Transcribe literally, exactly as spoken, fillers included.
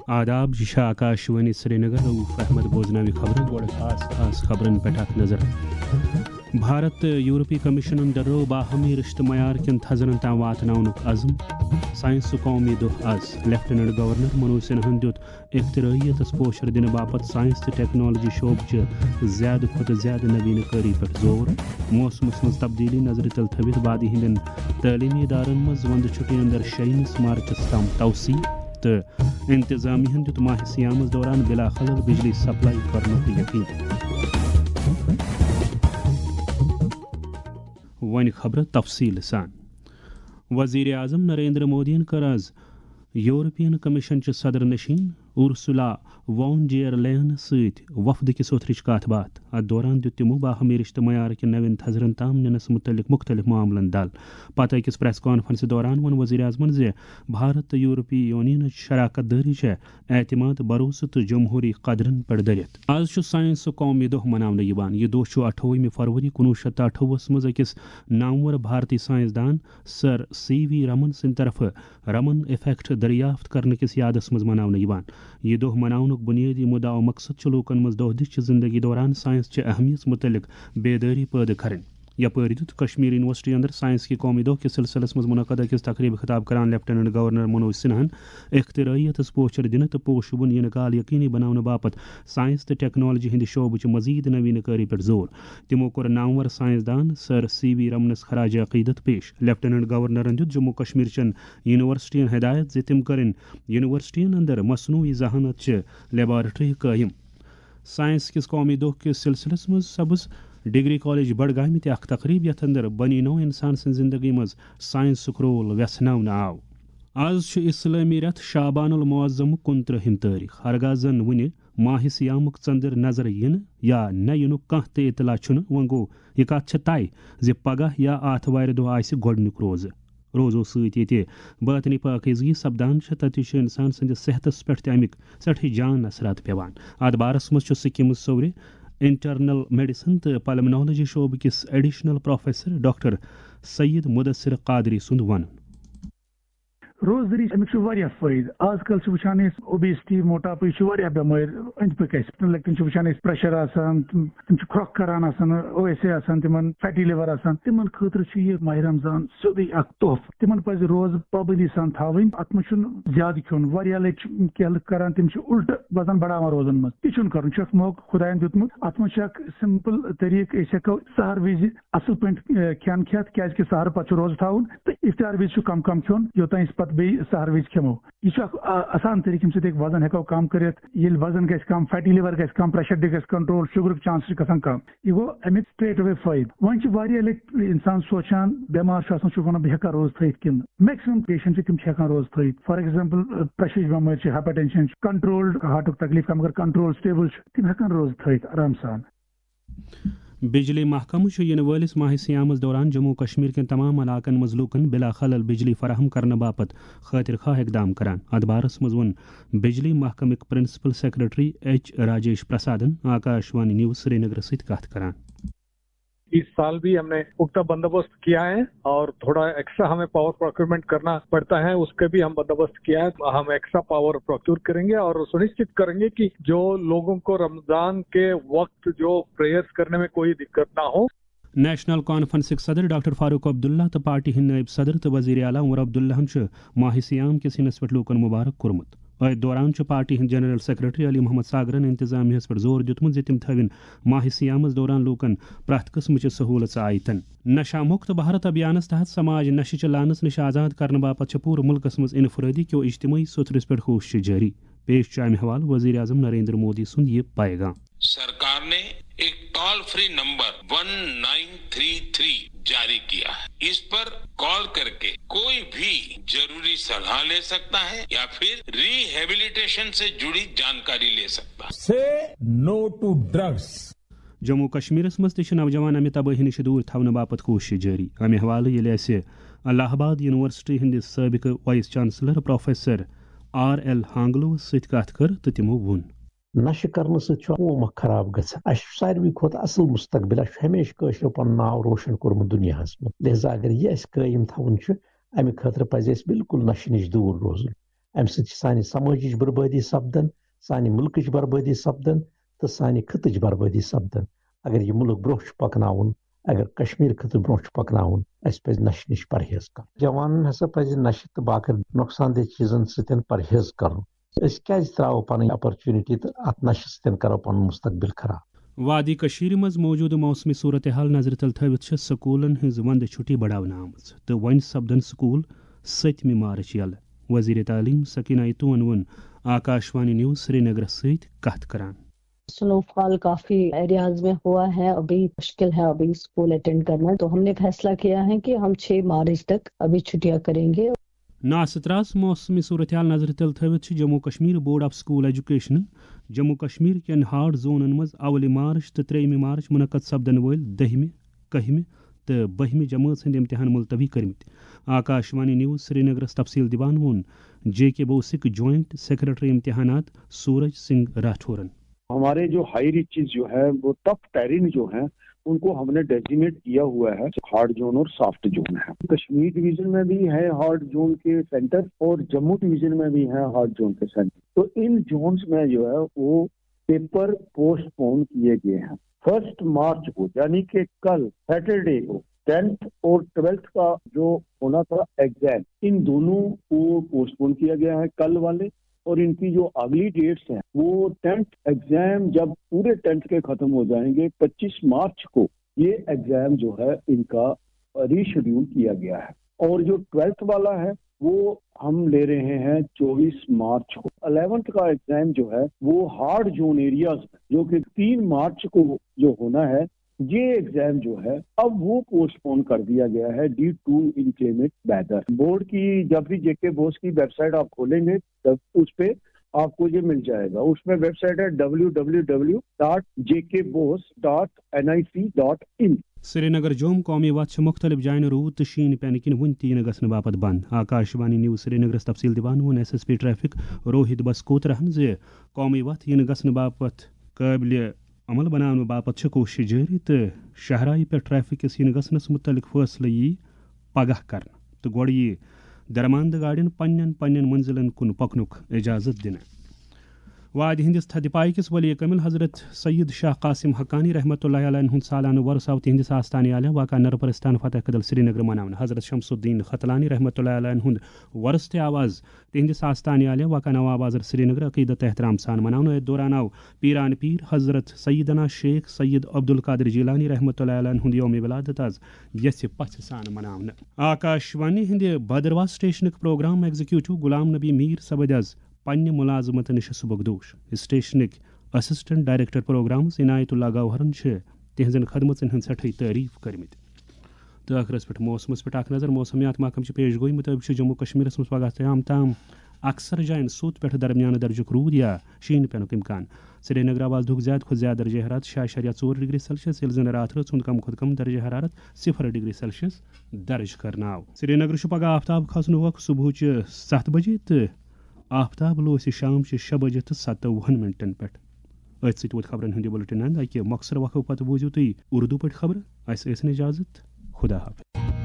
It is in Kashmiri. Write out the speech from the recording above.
آداب، یہِ چھِ آکاشوانی سرینگر۔ رؤف احمد بوزناوِ خبرٕ۔ گۄڈٕ خاص خاص خبرن پٮ۪ٹھ اکھ نظر۔ بھارت تہٕ یورپی کمیشنن ڈرٲو باہمی رشتہٕ معیار کٮ۪ن تھزرن تام واتناونُک عزم۔ ساینسُک قومی دۄہ از۔ لیفٹیننٹ گورنر منوج سنہاہن دیُت اختراعیتس پوچھر دِنہٕ باپتھ ساینس تہٕ ٹیکنالوجی شعبہٕ چہِ زیادٕ کھۄتہٕ زیادٕ نویٖنہٕ کٲری پٮ۪ٹھ زور۔ موسمس منٛز تبدیلی نظرِ تل تھٲوِتھ وادی ہٕنٛدٮ۪ن تعلیمی ادارن منٛز وندٕ چھُٹی اندر شیٚیِمِس مارچس تام توسیع تہٕ انتظامیہ ہن دیُت ماہ صیامس دوران بلا خلل بجلی سپلائی کرنُک یقین۔ وۄنۍ خبرٕ تفصیل سان۔ وزیر اعظم نریندر مودیَن کٔر آز یورپین کمیشن چہِ صدر نشین اورسولا وان ڈیر لین سۭتۍ وفد کِس اوترٕچ کتھ باتھ۔ اتھ دوران دیُت تِمو باہمی رشتہٕ معیار کہِ نوٮ۪ن تھزرن تام نِنس مُتعلق مُختٔلِف معاملن دل۔ پتہٕ أکِس پریس کانفرنسہِ دوران ووٚن وزیر اعظمن زِ بھارت تہٕ یورپی یونینٕچ شراکت دٲری چھےٚ اعتماد، بھروسہٕ تہٕ جمہوری قدرن پٮ۪ٹھ دٔرِتھ۔ آز چھُ ساینسُک قومی دۄہ مناونہٕ یِوان۔ یہِ دۄہ چھُ اَٹھووُہمہِ فروری کُنوُہ شیٚتھ تہٕ اَٹھووُہس منٛز أکِس نامور بھارتی ساینسدان سر سی وی رمن سٕنٛدِ طرفہٕ رمن ایفیکٹ دریافت کرنہٕ کِس یادس منٛز مناونہٕ یِوان۔ یہِ دۄہ مناونُک بُنیٲدی مُدعا و مقصد چھُ لوٗکن منٛز دۄہ دِش چہِ زندگی دوران ساینس چہِ اہمیت مُتعلق بیدٲری پٲدٕ کرٕنۍ۔ یپٲرۍ دیُت کشمیر یونیورسٹی اندر ساینس کہِ قومی دۄہ کِس سلسلس منٛز منعقد أکِس تقریبہِ خطاب کران لیفٹیننٹ گورنر منوج سنہاہن اختراعیتس پوچھر دِنہٕ تہٕ پوشوُن یِنہٕ کال یقینی بناونہٕ باپتھ ساینس تہٕ ٹیکنالوجی ہٕنٛدِ شعبہٕ چہِ مزید نوینہٕ کٲری پٮ۪ٹھ زور۔ تِمو کوٚر نامور ساینسدان سر سی وی رمنس خراج عقیدت پیش۔ لیفٹیننٹ گورنرن دیُت جموں کشمیر چٮ۪ن یونیورسٹین ہدایت زِ تِم کرن یونیورسٹین اندر مصنوعی ذہانت چہِ لیبارٹری قٲیم۔ ساینس کِس قومی دۄہ کِس سلسلس منٛز سپٕز ڈگری کالج بڈگامہِ تہِ اکھ تقریب، یتھ اندر بنی نوع انسان سٕنٛز زندگی منٛز ساینسُک رول ویژھناونہٕ آو۔ آز چھُ اسلٲمی رٮ۪تھ شعبان المعظمُک کُنترٕہِم تٲریخ۔ ہرگاہ زن وُنہِ ماہِ صیامُک ژٔنٛدٕر نظرِ یِنہٕ یا نہ یِنُک کانٛہہ تہِ اطلاع چھُنہٕ، وۄنۍ گوٚو یہِ کتھ چھےٚ طے زِ پگاہ یا آتھوارِ دۄہ آسہِ گۄڈٕنیُک روزٕ۔ روزو سۭتۍ ییٚتہِ باطنی پٲکیزگی سپدان چھےٚ، تتہِ چھِ انسان سٕنٛدِس صحتس پٮ۪ٹھ تہِ امیِکۍ سٮ۪ٹھٕے جان اثرات پٮ۪وان۔ اتھ بارس منٛز چھُ سکمز صوورِ انٹرنل میڈیسن تہٕ پلمنالوجی شعبہٕ کِس additional professor doctor Syed Mudasir Qadri سُنٛد ونُن۔ روزدٔری، اَمیُک چھُ واریاہ فٲیدٕ۔ آز کل چھِ وٕچھان أسۍ اوبیسٹی، موٹاپہٕ، یہِ چھُ واریاہ بٮ۪مٲرۍ أنٛدۍ پٔکۍ اَسہِ۔ لۄکٹٮ۪ن چھِ وٕچھان أسۍ پریشر آسان، تِم تِم چھِ کھرٛۄکھ کران آسان، او ایس اے آسان تِمن، فیٹی لِور آسان۔ تِمن خٲطرٕ چھُ یہِ ماہِ رمضان سیوٚدُے اکھ تحفہٕ۔ تِمن پزِ روزٕ پابندی سان تھاوٕنۍ۔ اتھ منٛز چھُنہٕ زیادٕ کھیوٚن۔ واریاہ لٹہِ چھِ کینٛہہ لُکھ کران، تِم چھِ الٹہٕ وزن بڑاوان روزن منٛز۔ تہِ چھُنہٕ کرُن، چھُ اکھ موقعہٕ خداین دیُتمُت۔ اتھ منٛز چھِ اکھ سمپل طریقہٕ، أسۍ ہٮ۪کو سحر وِزِ اصل پٲٹھۍ، اے، کھٮ۪ن کھٮ۪تھ، کیازِ کہِ سحر پتہٕ چھُ روزٕ تھاوُن تہٕ افطار وِزِ چھُ کم کم کھیوٚن، یوٚتام أسۍ پتہٕ بیٚیہِ سحر وِزِ کھٮ۪مو۔ یہِ چھُ اکھ، آ، آسان طریقہٕ، ییٚمہِ سۭتۍ ہیٚکہِ وزن ہیٚکو کم کٔرِتھ۔ ییٚلہِ وزن گژھِ کم، فیٹی لِور گژھِ کم، پریشر تہِ گژھِ کنٹرول، شُگرُک چانس چھُ گژھان کم۔ یہِ گوٚو امیُک straight away فٲیدٕ۔ وۄنۍ چھِ واریاہ لٹہِ انسان سونٛچان، بٮ۪مار چھُ آسان، چھُ ونان، بہٕ ہیٚکا روزٕ تھٲیِتھ کِنہٕ نہٕ؟ میکسِمم پیشنٹ چھِ، تِم چھِ ہیٚکان روزٕ تھٲیِتھ۔ فار ایگزامپل، پریشرٕچ بٮ۪مٲرۍ چھِ، ہاے پرٹینشن چھُ، کنٹرولڈ ہارٹُک تکلیف کم، اگر کنٹرول سٹیبل چھُ، تِم ہیٚکن روزٕ تھٲیِتھ آرام سان۔ بجلی محکمہٕ چھُ یِنہٕ وٲلِس ماہِ صیامس دوران جموں و کشمیر کٮ۪ن تمام علاقن منٛز لوٗکن بلا خلل بجلی فراہم کرنہٕ باپتھ خٲطر خواہ اقدام کران۔ اتھ بارس منٛز ووٚن بجلی محکمٕکۍ پرنسپل سیکرٹری ایچ راجیش پرسادن آکاش وانی نیوز سرینگرس سۭتۍ کتھ کران۔ इस साल भी हमने पुख्ता बंदोबस्त किया है और थोड़ा एक्स्ट्रा हमें पावर प्रोक्योरमेंट करना पड़ता है, उसके भी हम बंदोबस्त किया है। हम एक्स्ट्रा पावर प्रोक्योर करेंगे और सुनिश्चित करेंगे कि जो लोगों को रमजान के वक्त जो प्रेयर्स करने में कोई दिक्कत ना हो। نیشنل کانفرنسٕکۍ صدر ڈاکٹر فاروق عبداللہ تہٕ پارٹی ہٕنٛدۍ نٲیِب صدر تہٕ وزیر اعلیٰ عمر عبداللہن چھُ ماہِ صیام کِس ہِنس پٮ۪ٹھ لوٗکن مبارک کوٚرمُت۔ أتھۍ دوران چھُ پارٹی ہٕنٛدۍ جنرل سیکرٹری علی محمد ساگرن انتظامیہس پٮ۪ٹھ زور دیُتمُت زِ تِم تھٲوِن ماہِ صیامس دوران لوٗکن پرٛٮ۪تھ قٕسمٕچہِ سہوٗلژٕ آیتن۔ نشہ مکت بھارت ابھیانس تحت سماج نشہٕ چہِ لعنس نِش آزاد کرنہٕ باپتھ چھےٚ پوٗرٕ مُلکس منٛز انفرٲدی کیو اجتمٲعی سوٚتھرِس پٮ۪ٹھ کوٗششہٕ جٲری۔ پیش چھُ امہِ حوالہٕ وزیر اعظم نریندر مودی سُنٛد یہِ پیغام۔ सरकार ने एक toll free number one nine three three जारी किया है। इस पर कॉल करके कोई भी जरूरी सलाह ले सकता है या फिर रिहेबिलिटेशन से जुड़ी जानकारी ले सकता है। Say no to drugs. Jammu و کشمیرس منٛز تہِ چھِ نوجوان امہِ تبٲہی نِش دوٗر تھاونہٕ باپتھ کوٗشش جٲری۔ امہِ حوالہٕ ییٚلہِ اسہِ الہ آباد یونیورسٹی ہٕنٛدِس سٲبقہٕ vice chancellor professor R L ہانگلوس سۭتۍ کتھ کٔر تہٕ تِمو ووٚن۔ نشہٕ کرنہٕ سۭتۍ چھُ قوم اکھ خراب گژھان۔ اسہِ چھُ ساروی کھۄتہٕ اصل مستقبل، اسہِ چھُ ہمیشہِ کٲشریو پنُن ناو روشن کوٚرمُت دُنیاہس منٛز۔ لہذا اگر یہِ اسہِ قٲیِم تھاوُن چھُ، امہِ خٲطرٕ پزِ اسہِ بالکل نشہٕ نِش دوٗر روزُن۔ اَمہِ سۭتۍ چھِ سانہِ سمٲجِچ بربٲدی سپدان، سانہِ مُلکٕچ بربٲدی سپدان تہٕ سانہِ خٕطٕچ بربٲدی سپدان۔ اگر یہِ مُلک برونٛہہ چھُ پکناوُن، اگر کشمیر خطہٕ برونٛہہ چھُ پکناوُن، اسہِ پزِ نشہٕ نِش پرہیز کرُن۔ جوانن ہسا پزِ نشہٕ تہٕ باقی نۄقصان دہ چیزن سۭتۍ پرہیز کرُن۔ أسۍ کیازِ تراوو پنٕنۍ opportunity تہٕ اتھ نشہٕ سۭتۍ کرو پنُن مستقبل خراب؟ وادی کشمیر منٛز موجودٕ موسمی صورتحال نظرِ تل تھٲوِتھ چھِ سکوٗلن ہٕنٛز ونٛدٕ چھُٹی بڑاونہٕ آمٕژ تہٕ وۄنۍ سپدن سکوٗل ستمہِ مارچ یلہٕ۔ وزیر تعلیم سکینہ ایتوہن ووٚن آکاشوانی نیوز سرینگرس سۭتۍ کتھ کران۔ سنو فال کافی ایریاز میں ہوا ہے، ابھی مشکل ہے ابھی اسکول اٹینڈ کرنا، تو ہم نے فیصلہ کیا ہے کہ ہم چھ مارچ تک ابھی چھٹیاں کریں گے۔ ناستراس موسمی صورتحال نظرِ تل تھٲوِتھ چھِ Jammu Kashmir board of school ایجوکیشنن جموں کشمیر کٮ۪ن ہارڈ زونن منٛز اولہِ مارچ تہٕ ترٛیٚیِمہِ مارچ منعقد سپدن وٲلۍ دٔہمہِ، کٔہمہِ تہٕ بٔہمہِ جمٲژ ہٕنٛدۍ امتحان ملتوی کٔرمٕتۍ۔ آکاشوانی نیوز سرینگرس تفصیل دِوان ووٚن جے کے بوسٕکۍ جوائنٹ سیکرٹری امتحانات سورج سنگھ راٹھورن۔ ہمارے جو ہائی ریچز جو ہے، وہ ٹف ٹیرین جو ہے، ان کو ہم نے ڈیزیگنیٹ کیا ہوا ہے ہارڈ زون اور سافٹ زون ہے۔ کشمیر ڈویژن میں بھی ہے ہارڈ زون کے سینٹر اور جموں ڈویژن میں بھی ہے ہارڈ زون کے سینٹر۔ تو ان زونز میں جو ہے وہ پیپر پوسٹ پون کیے گئے ہیں۔ فرسٹ مارچ کو، یعنی کہ کل سیٹرڈے کو، ٹینتھ اور ٹویلتھ کا جو ہونا تھا ایگزام، ان دونوں کو پوسٹ پون کیا گیا ہے۔ کل والے اور ان کی جو اگلی ڈیٹس ہیں، وہ ٹینتھ ایگزام جب پورے ٹینتھ کے ختم ہو جائیں گے، پچیس مارچ کو یہ ایگزام جو ہے ان کا ری شیڈیول کیا گیا ہے۔ اور جو ٹویلتھ والا ہے، وہ ہم لے رہے ہیں چوبیس مارچ کو۔ الیونتھ کا ایگزام جو ہے، وہ ہارڈ زون ایریاز میں، جو کہ تین مارچ کو جو ہونا ہے، یہ ایگزام جو ہے، اب وہ پوسٹ پون کر دیا گیا ہے ڈیو ٹو انکلیمنٹ ویدر۔ بورڈ کی جب بھی جے کے بوس کی ویب سائٹ آپ کھولیں گے، تب اس پہ آپ کو یہ مل جائے گا۔ اس میں ویب سائٹ ہے W W W dot J K BOSE dot N I C dot in. Srinagar. جوم قومی وتھ چھِ مُختٔلِف جاین روٗد تہٕ شیٖن پینہٕ کِنۍ وُنہِ تہِ یِنہٕ گژھنہٕ باپتھ بنٛد۔ آکاشوانی نیوز سرینگرس تفصیل دِوان ووٚن S S P traffic Rohit بس کوترہن زِ قومی وتھ یِنہٕ گژھنہٕ باپتھ قٲبلِ عمل بناونہٕ باپتھ چھِ کوٗشش جٲری تہٕ شاہراہہِ پٮ۪ٹھ ٹریفک کِس یِنہٕ گژھنس مُتعلق فٲصلہٕ یی پگاہ کرنہٕ تہٕ گۄڈٕ یی درماندٕ گاڑٮ۪ن پننٮ۪ن پننٮ۪ن منزلن کُن پکنُک اجازت دِنہٕ۔ وادی ہندس تھدِ پایہِ کِس ولی کامل حضرت سید شاہ قاسم حقانی رحمۃ اللہ علیہ ہُنٛد سالانہٕ وۄرثہٕ آو تِہنٛدِس آستانہِ عالیہ واقع نرپرستان فتح کدل سرینگر مناونہٕ۔ حضرت شمس الدین ختلانی رحمۃ اللہ علیہ ہُنٛد وۄرثہٕ تہِ آو از تِہنٛدِس آستانہِ عالیہ واقع نواب بازر سرینگر عقیدت احترام سان مناونہٕ۔ أتھۍ دوران آو پیران پیر حضرت سیدنا شیخ سید عبدالقادر جیلانی رحمۃ اللہ علیہ ہُنٛد یوم ولادت از یژھِ پژھِ سان مناونہٕ۔ آکاشوانی ہٕنٛدِ بھدرواہ سٹیشنٕکۍ پروگرام ایگزیکیوٹو غلام نبی میر سپٕدۍ از پننہِ ملازمتہٕ نِش سبکدوش۔ سٹیشنٕکۍ اسسٹنٹ ڈائریکٹر پروگرامز عنایت اللہ گوہرن چھِ تِہنٛزن خدمژن ہٕنٛز سٮ۪ٹھٕے تعریف کٔرمٕتۍ۔ تہٕ ٲخرس پٮ۪ٹھ موسمس پٮ۪ٹھ اکھ نظر۔ موسمیات محکمہٕ چہِ پیش گوئی مُطٲبِق چھُ جموں کشمیرس منٛز پگاہ تام تام اکثر جاین سوٚت پٮ۪ٹھ درمیانہٕ درجُک روٗد یا شیٖن پٮ۪نُک امکان۔ سرینگر آو از دُھک زیادٕ کھۄتہٕ زیادٕ درجہ حرارت شےٚ اعشاریہ ژور ڈگری سیلسیس، ییٚلہِ زن راتھ رٲژ ہُنٛد کم کھۄتہٕ کم درجہ حرارت صفر ڈگری سیلسیس درج کرنہٕ آو۔ سرینگر چھُ پگاہ آفتاب کھسنہٕ وقتہٕ صبحٕچہِ ستھ بجے تہٕ آفتاب لوسہِ شام چہِ شےٚ بجہِ تہٕ ستووُہن منٹن پٮ۪ٹھ۔ أتھۍ سۭتۍ ووت خبرن ہُنٛد یہِ بُلٹن اند۔ اکہِ مۄخصر وقفہٕ پتہٕ بوٗزِو تُہۍ اردو پٲٹھۍ خبرٕ۔ اسہِ ٲسِن اجازت۔ خدا حافظ۔